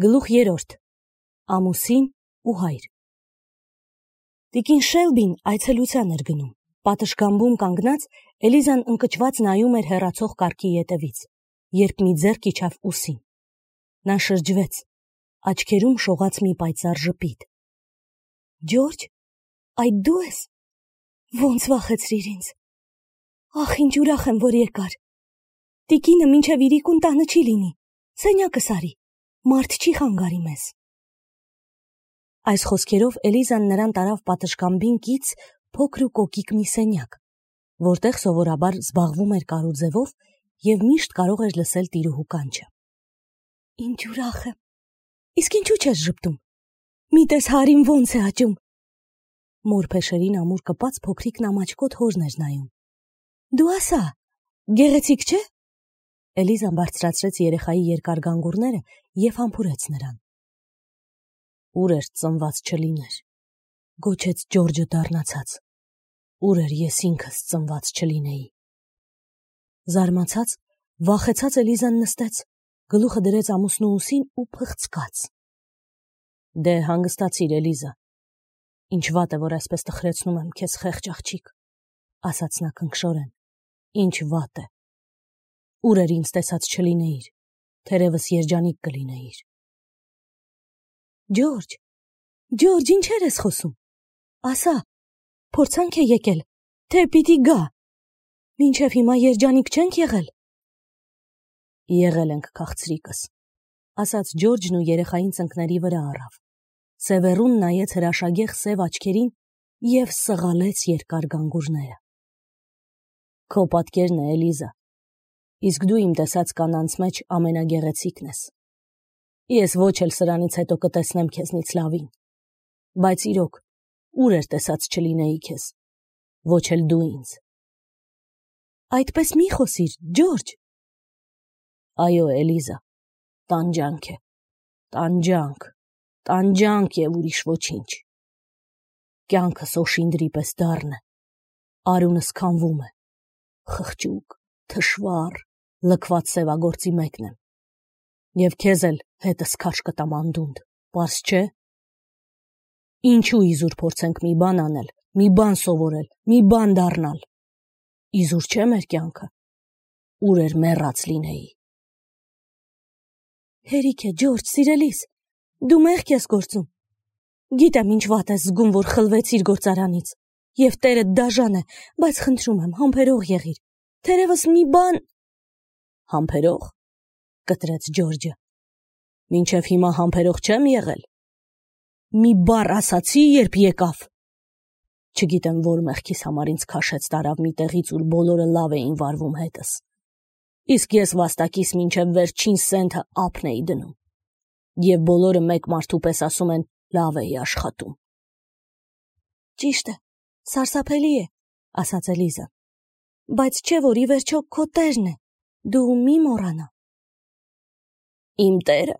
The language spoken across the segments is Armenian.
Գլուխ 3. Ամուսին ու հայր։ Տիկին Շելբին այցելության էր գնում։ Պատշգամբում կանգնած Էլիզան ընկճված նայում էր հեռացող կառքի ետևից, երբ մի ձեռք իջավ ուսին։ Նա շրջվեց, աչքերում շողաց մի պայծառ ժպիտ։ Ջորջ, այդ դու ես։ Ոնց վախեցրիր ինձ։ Ախ, ինչ ուրախ եմ, որ եկար։ Տիկինը մինչև իրիկուն տանը չի լինի։ Սենյակս արի, մարդ չի խանգարի մեզ։ Այս խոսքերով Էլիզան նրան տարավ պատշգամբին կից փոքր ու կոկիկ մի սենյակ, որտեղ սովորաբար զբաղվում էր կարուձևով և միշտ կարող էր լսել տիրուհու կանչը։ Ինչ ուրախ եմ։ Իսկ ինչու չես ժպտում։ Մի տես հարին ոնց է աճում։ Մոր փեշերին ամուր կպած փոքրիկ նամաչկոտ հորն էր նայում։ Դու ասա, գեղեցիկ չէ։ Էլիզան բարձրացրեց երեխայի երկար գանգուրները և համբուրեց նրան։ Ուր էր ծնված չլիներ, գոչեց Ջորջը դառնացած։ Ուր էր ես ինքս ծնված չլինեի։ Զարմացած, վախեցած Էլիզան նստեց, գլուխը դրեց ամուսնու ուսին ու փխցկաց։ Դե հանգստացիր, Էլիզա։ Ինչ վատ է, որ այսպես տխրեցնում եմ քեզ, խեղճ աղջիկ, ասաց նա քնքշորեն։ Ինչ վատ է։ Ուր էր ինձ տեսած չլինեիր, թերևս երջանիկ կլինեիր։ Ջորջ, ինչեր ես խոսում։ Ասա, փորձանք է եկել, թե պիտի գա։ Մինչև հիմա երջանիկ չենք եղել։ Եղել ենք, քաղցրիկս, ասաց Ջորջն ու երեխային ծնկների վրա առավ։ Սևեռուն նայեց հրաշագեղ սև աչքերին և սղալեց երկար գանգուրները։ Քո պատկերն է, Էլիզա, իսկ դու իմ տեսած կանանց մեջ ամենագեղեցիկն ես։ Ես ոչ էլ սրանից հետո կտեսնեմ քեզնից լավին, բայց իրոք, ուր էր տեսած չլինեի քեզ, ոչ էլ դու ինձ։ Այդպես մի խոսիր, Ջորջ։ Այո, Էլիզա, տանջանք է, տանջանք և ուրիշ ոչինչ։ Կյանքս օշինդրի պես դառն է, արյունս քամվում է, խղճուկ, թշվառ, լքված սևագործի մեկն եմ, և քեզ էլ հետս քաշ կտամ անդունդ, պարզ չէ։ Ինչու իզուր փորձենք մի բան անել, մի բան սովորել, մի բան դառնալ։ Իզուր չէ մեր կյանքը, ուր էր մեռած լինեի։ Հերիք է, Ջորջ, սիրելիս, դու մեղք ես գործում։ Գիտեմ ինչ վատ ես զգում, որ խլվեցիր գործարանից, և տերդ դաժան է, բայց խնդրում եմ, համբերող եղիր, թերևս մի բան… Համբերող, կտրեց Ջորջը, մինչև հիմա համբերող չեմ եղել։ Մի բառ ասացի, երբ եկավ։ Չգիտեմ, որ մեղքիս համար ինձ քաշեց տարավ մի տեղից, ուր բոլորը լավ էին վարվում հետս։ Իսկ ես վաստակիս մինչև վերջին սենթը ափն էի դնում։ Եվ բոլորը մեկ մարդու պես ասում են, լավ էի աշխատում։ Ճիշտ է, սարսափելի է, ասաց Էլիզան, բայց չէ, որ ի վերջո քո տերն է, դու մի մոռանա։ Իմ տերը,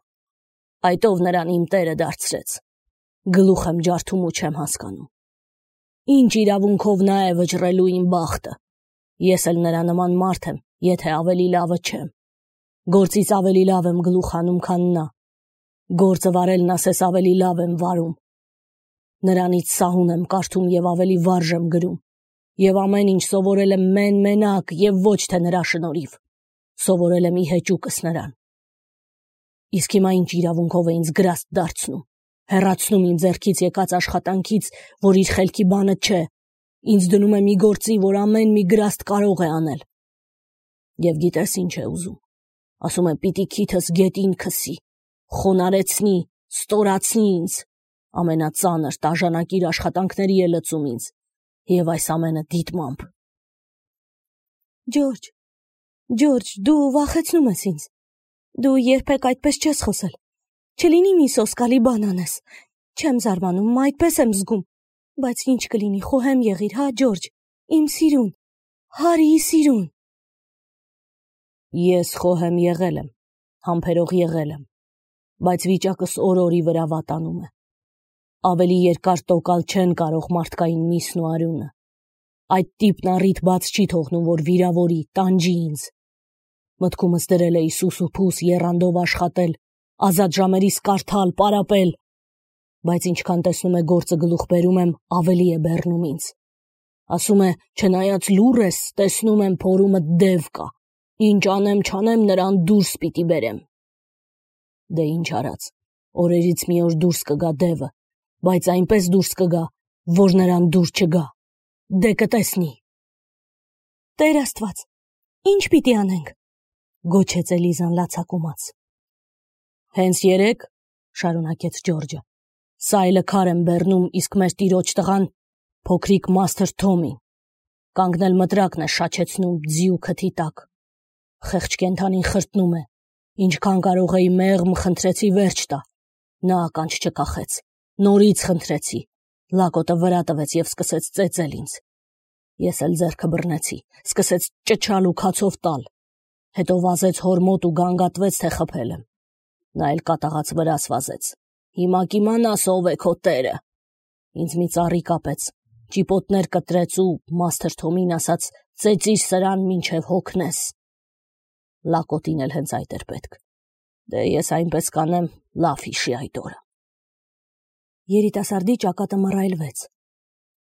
այդ ով նրան իմ տերը դարձրեց, գլուխ եմ ջարդում ու չեմ հասկանում։ Ինչ իրավունքով նա է վճռելու իմ բախտը։ Ես էլ նրա նման մարդ եմ, եթե ավելի լավը չեմ։ Գործից ավելի լավ եմ գլուխ հանում, քան նա։ Գործը վարելն ասես ավելի լավ եմ վարում։ Նրանից սահուն եմ կարդում և ավելի վարժ եմ գրում։ Եվ ամեն ինչ սովորել եմ մենակ և ոչ թե նրա շնորհիվ։ Սովորել եմ ի հեճուկս նրան։ Իսկ հիմա ինչ իրավունքով է ինձ գրաստ դարձնում, հեռացնում իմ ձեռքից եկած աշխատանքից, որ իր խելքի բանը չէ, ինձ դնում է մի գործի, որ ամեն մի գրաստ կարող է անել։ Եվ գիտես ինչ է ուզում։ Ասում է պիտի քիթս գետին քսի, խոնարեցնի, ստորացնի ինձ, ամենածանր տաժանակիր աշխատանքների է լծում ինձ, և այս ամենը դիտմամբ։ Ջորջ, դու վախեցնում ես ինձ։ Դու երբեք այդպես չես խոսել։ Չլինի մի սոսկալի բան անես։ Չեմ զարմանում, այդպես եմ զգում։ Բայց ինչ կլինի, խոհեմ եղիր, հա, Ջորջ, իմ սիրուն, հարի սիրուն։ Ես խոհեմ եղել եմ, համբերող եղել եմ, բայց վիճակս օր-օրի վրա վատանում է։ Ավելի երկար տոկալ չեն կարող մարդկային միսն ու արյունը։ Այդ տիպն առիթ բաց չի թողնում, որ վիրավորի, տանջի ինձ։ Մտքումս դրել էի սուս ու փուս եռանդով աշխատել, ազատ ժամերիս կարդալ, պարապել, բայց ինչքան տեսնում է գործը գլուխ բերում եմ, ավելի է բեռնում ինձ։ Ասում է, չնայած լուռ ես, տեսնում եմ փորումը դև կա, ինչ անեմ չանեմ նրան դուրս պիտի բերեմ։ Դե ինչ արած, օրերից մի օր դուրս կգա դևը, բայց այնպես դուրս կգա, որ նրան դուր չգա, դե կտեսնի։ Տեր Աստված, ինչ պիտի անենք, գոչեց Էլիզան լացակումած։ Հենց երեկ, շարունակեց Ջորջը, սայլը քար եմ բեռնում, իսկ մեր տիրոջ տղան փոքրիկ Մաստր Թոմին, կանգնել մտրակն է շաչեցնում ձիու քթի տակ, խեղճ կենդանին խրտնում է, ինչքան կարող էի մեղմ խնդրեցի վերջ տա, նա ականջ չկախեց, նորից խնդրեցի, լակոտը վրա տվեց և սկսեց ծեծել ինձ, ես էլ ձեռքը բռնեցի, սկսեց ճչալ ու քացով տալ, հետո վազեց հոր մոտ ու գանգատվեց, թե խփել եմ, նա էլ կատաղած վրաս վազեց, հիմա կիմանաս ով է քո տերը, ինձ մի ծառի կապեց, ճիպոտներ կտրեց ու Մաստր Թոմին ասաց, ծեծիր սրան մինչև հոգնես, լակոտին էլ հենց այդ էր պետք, դե ես այնպես կանեմ, լավ հիշի այդ օրը։ Երիտասարդի ճակատը մռայլվեց,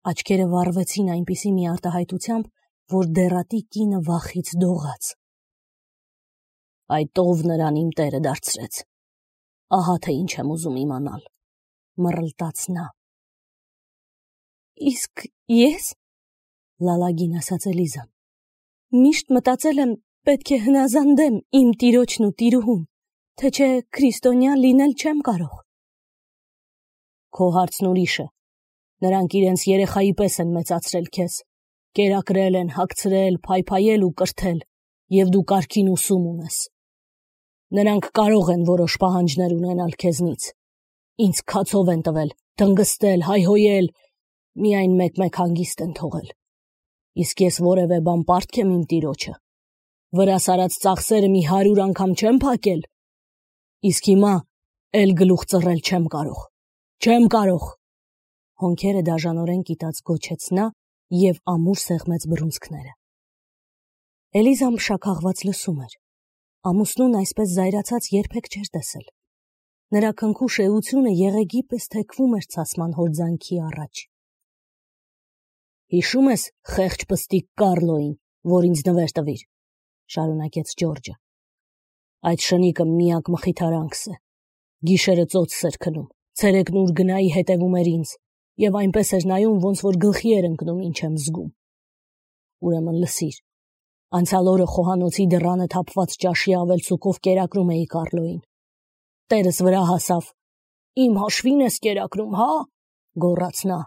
աչքերը վառվեցին այնպիսի մի արտահայտությամբ, որ դեռատի կինը վախից դողաց։ Այդ ով նրան իմ տերը դարձրեց, ահա թե ինչ եմ ուզում իմանալ, մռլտաց նա։ Իսկ ես, լալագին ասաց Էլիզան, միշտ մտածել եմ, պետք է հնազանդեմ իմ տիրոջն ու տիրուհուն, թե չէ քրիստոնյա լինել չեմ կարող։ Քո հարցն ուրիշ է, նրանք իրենց երեխայի պես են մեծացրել քեզ, կերակրել են, հագցրել, փայփայել ու կրթել, և դու կարգին ուսում ունես։ Նրանք կարող են որոշ պահանջներ ունենալ քեզնից, ինձ քացով են տվել, դնգստել, հայհոյել, միայն մեկ-մեկ հանգիստ են թողել, իսկ ես որևէ բան պարտք եմ իմ տիրոջը, վրաս արած ծախսերը մի 100 անգամ չեմ փակել, իսկ հիմա էլ գլուխ ծռել չեմ կարող, հոնքերը դաժանորեն կիտած գոչեց նա և ամուր սեղմեց բռունցքները։ Էլիզան փշաքաղված լսում էր, ամուսնուն այսպես զայրացած երբեք չէր տեսել, նրա քնքուշ էությունը եղեգի պես թեքվում էր ցասման հորձանքի առաջ։ Հիշում ես խեղճ պստիկ Կարլոյին, որ ինձ նվեր տվիր, շարունակեց Ջորջը, այդ շնիկը միակ մխիթարանքս է, գիշերը ծոցս էր քնում, ցերեկն ուր գնայի հետևում էր ինձ, և այնպես էր նայում, ոնց որ գլխի էր ընկնում ինչ եմ զգում։ Ուրեմն լսիր, անցյալ օրը խոհանոցի դռանը թափված ճաշի ավելցուկով կերակրում էի Կարլոյին, տերս վրա հասավ, իմ հաշվին ես կերակրում, հա, գոռաց նա,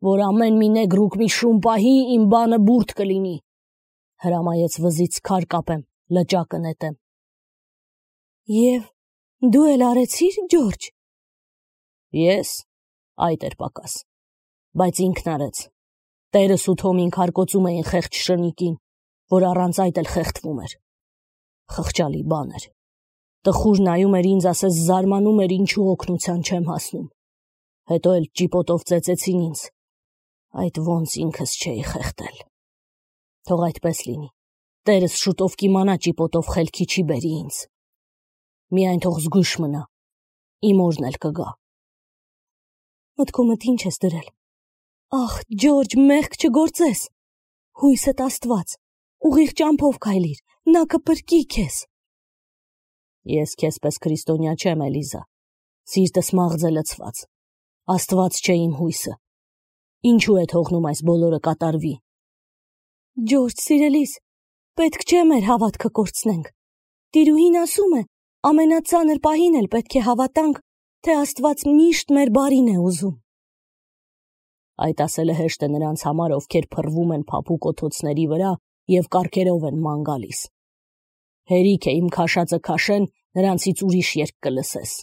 որ ամեն մի նեգրուկ մի շուն պահի, իմ բանը բուրդ կլինի, հրամայեց վզից քար կապեմ, լճակը նետեմ։ Եվ դու էլ արեցիր, Ջորջ։ Ես, այդ էր պակաս, բայց ինքն արեց, տերս ու Թոմին քարկոծում էին խեղճ շնիկին, որ առանց այդ էլ խեղդվում էր, խղճալի բան էր, տխուր նայում էր ինձ, ասես զարմանում էր ինչու օգնության չեմ հասնում, հետո էլ ճիպոտով ծեծեցին ինձ, այդ ոնց ինքս չէի խեղդել։ Թող այդպես լինի, տերս շուտով կիմանա ճիպոտով խելքի չի բերի ինձ, միայն թող զգույշ մնա, իմ օրն էլ կգա։ Մտքումդ ինչ ես դրել, ախ, Ջորջ, մեղք չգործես, հույսդ Աստված, ուղիղ ճամփով քայլիր, նա կփրկի քեզ։ Ես քեզ պես քրիստոնյա չեմ, Էլիզա, սիրտս մաղձ է լցված, Աստված չէ իմ հույսը, ինչու է թողնում այս բոլորը կատարվի։ Ջորջ, սիրելիս, պետք չէ մեր հավատքը կորցնենք, տիրուհին ասում է, ամենածանր պահին էլ պետք է հավատանք, թե Աստված միշտ մեր բարին է ուզում։ Այդ ասելը հեշտ է նրանց համար, ովքեր փռվում են փափուկ օթոցների վրա և կառքերով են ման գալիս։ Հերիք է իմ քաշածը քաշեն, նրանցից ուրիշ երգ կլսես։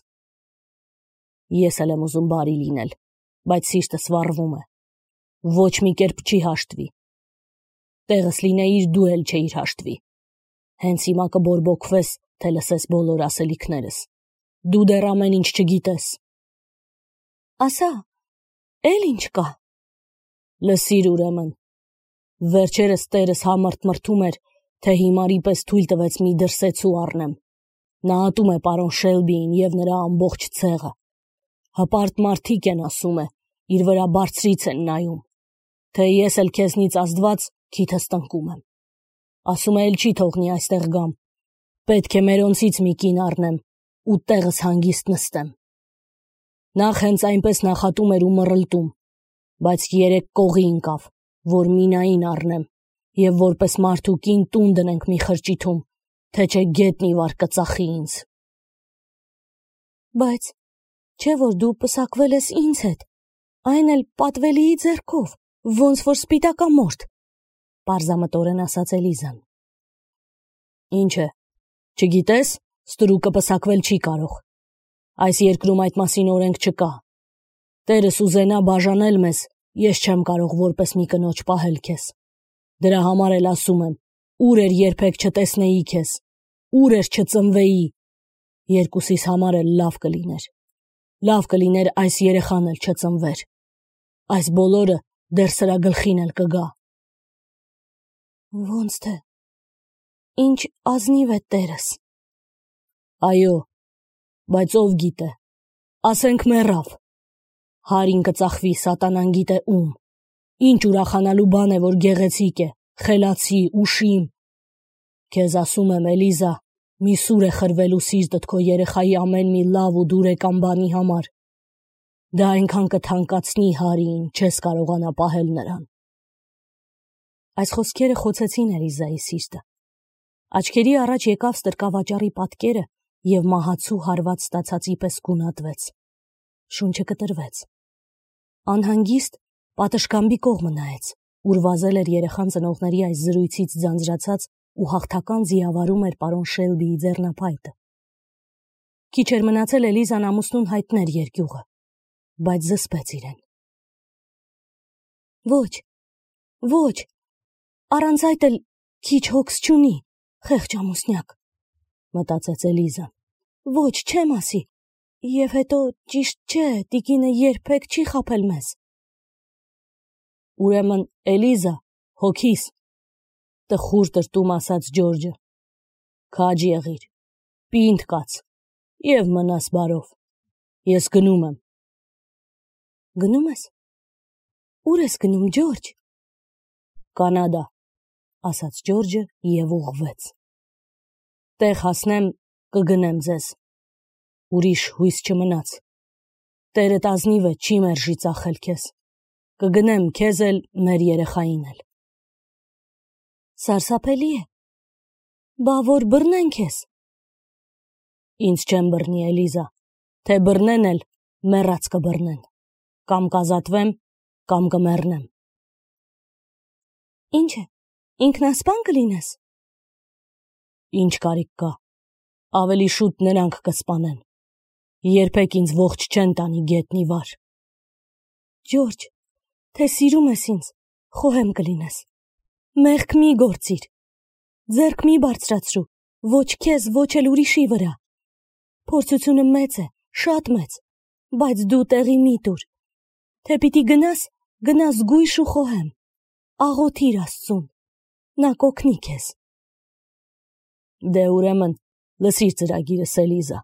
Ես էլ եմ ուզում բարի լինել, բայց սիրտս վառվում է, ոչ մի կերպ չի հաշտվի։ Տեղս լինեիր դու էլ չէիր հաշտվի։ Հենց հիմա կբորբոքվես, թե լսես բոլոր ասելիքներս։ Դու դեռ ամեն ինչ չգիտես։ Ասա, էլ ինչ կա։ Լսիր ուրեմն։ Վերջերս տերս համըրտ մրթում էր, թե հիմարի պես թույլ տվեց մի դրսեցու առնեմ, Նա ատում է պարոն Շելբիին և նրա ամբողջ ցեղը։ Հպարտ մարդիկ են, ասում է, իր վրա բարձրից են նայում, թե ես էլ քեզնից ազդված քիթս տնկում եմ։ Ասում է էլ չի թողնի այստեղ գամ, պետք է մերոնցից մի կին առնեմ ու տեղս հանգիստ նստեմ։ Նախ հենց այնպես նախատում էր ու մռլտում, բայց 3 կողի ընկավ, որ Մինային առնեմ և որպես մարդու կին տուն դնենք մի խրճիթում, թե չէ գետնի վար կծախի ինձ։ Բայց չէ որ դու պսակվել ես ինձ հետ, այն էլ պատվելիի ձեռքով, ոնց որ սպիտակամորթ, պարզամտորեն ասաց Էլիզան։ Ինչ է, չգիտես, ստրուկը պսակվել չի կարող։ Այս երկրում այդ մասին օրենք չկա։ Տերս ուզենա բաժանել մեզ, ես չեմ կարող որպես մի կնոջ պահել քեզ։ Դրա համար էլ ասում եմ, ուր էր երբեք չտեսնեի քեզ, ուր էր չծնվեի, երկուսիս համար էլ լավ կլիներ։ Լավ կլիներ այս երեխան էլ չծնվեր։ Այս բոլորը դեռ սրա գլխին էլ կգա։ Ոնց թե, ինչ ազնիվ է տերս։ Այո, բայց ով գիտե, ասենք մեռավ։ Հարին կծախվի սատանան գիտե ում։ Ինչ ուրախանալու բան է, որ գեղեցիկ է, խելացի, ուշիմ։ Քեզ ասում եմ, Էլիզա, մի սուր է խրվելու սիրտդ քո երեխայի ամեն մի լավ ու դուրեկան բանի համար։ Դա այնքան կթանկացնի Հարիին, չես կարողանա պահել նրան։ Այս խոսքերը խոցեցին Էլիզայի սիրտը։ Աչքերի առաջ եկավ ստրկավաճառի պատկերը և մահացու հարված ստացածի պես գունատվեց։ Շունչը կտրվեց։ Անհանգիստ պատշգամբի կողմը նայեց, ուր վազել էր երեխան ծնողների այս զրույցից ձանձրացած ու հաղթական ձիավարում էր պարոն Շելբիի ձեռնափայտը։ Քիչ էր մնացել Էլիզան ամուսնուն հայտներ երկյուղը, բայց զսպեց իրեն։ Ոչ, ոչ, առանց այդ էլ քիչ հոգս չունի, խեղճ ամուսնյակ, մտածեց Էլիզան։ Ոչ, չեմ ասի, և հետո ճիշտ չէ, տիկինը երբեք չի խաբել մեզ։ Ուրեմն, Էլիզա, հոգիս, տխուր տրտում ասաց Ջորջը, քաջ եղիր, պինդ կաց և մնաս բարով, ես գնում եմ։ Գնում ես։ Ուր ես գնում, Ջորջ։ Կանադա, ասաց Ջորջը և ուղղվեց։ Տեղ հասնեմ, կգնեմ ձեզ։ Ուրիշ հույս չմնաց։ Տերդ ազնիվ է, չի մերժի ծախել քեզ։ Կգնեմ քեզ էլ, մեր երեխային էլ։ Սարսափելի է։ Բա որ բռնեն քեզ։ Ինձ չեն բռնի, Էլիզա, թե բռնեն էլ, մեռած կբռնեն։ Կամ կազատվեմ, կամ կմեռնեմ։ Ինչ է, ինքնասպան կլինես։ Ինչ կարիք կա, ավելի շուտ նրանք կսպանեն։ Երբեք ինձ ողջ չեն տանի գետնի վար։ Ջորջ, թե սիրում ես ինձ, խոհեմ կլինես։ Մեղք մի գործիր։ Ձեռք մի բարձրացրու, ոչ քեզ, ոչ էլ ուրիշի վրա։ Փորձությունը մեծ է, շատ մեծ, բայց դու տեղի մի տուր։ Թե պիտի գնաս, գնաս զգույշ ու խոհեմ։ Աղոթիր Աստծուն, նա կօգնի քեզ։ Դե ուրեմն, լսիր ծրագիրս, Էլիզա։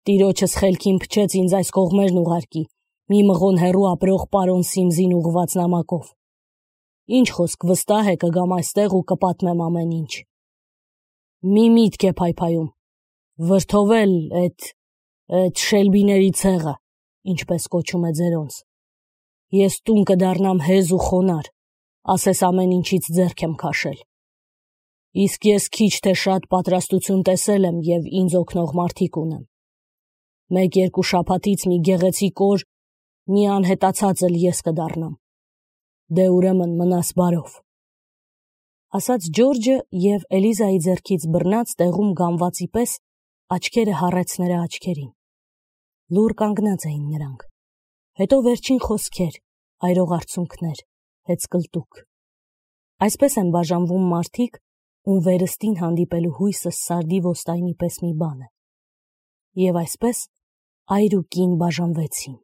Տիրոջս խելքին փչեց ինձ այս կողմերն ուղարկի, մի մղոն հեռու ապրող պարոն Սիմզին ուղղված նամակով։ Ինչ խոսք, վստահ է կգամ այստեղ ու կպատմեմ ամեն ինչ։ Մի միտք է փայփայում, վրդովել էդ Շելբիների ցեղը, ինչպես կոչում է ձերոնց։ Ես տուն կդառնամ հեզ ու խոնար, ասես ամեն ինչից ձեռք եմ քաշել։ Իսկ ես քիչ թե շատ պատրաստություն տեսել եմ և ինձ օգնող մարդիկ ունեմ։ 1-2 շաբաթից մի գեղեցիկ օր մի անհետացած էլ ես կդառնամ։ Դե ուրեմն մնաս բարով, ասաց Ջորջը և Էլիզայի ձեռքից բռնած տեղում գամվածի պես աչքերը հառեց նրա աչքերին։ Լուռ կանգնած էին նրանք։ Հետո վերջին խոսքեր, այրող արցունքներ, հեծկլտուք։ Այսպես են բաժանվում մարդիկ, ում վերստին հանդիպելու հույսը սարդի ոստայնի պես մի բան է։ Եվ այսպես այր ու կին բաժանվեցին։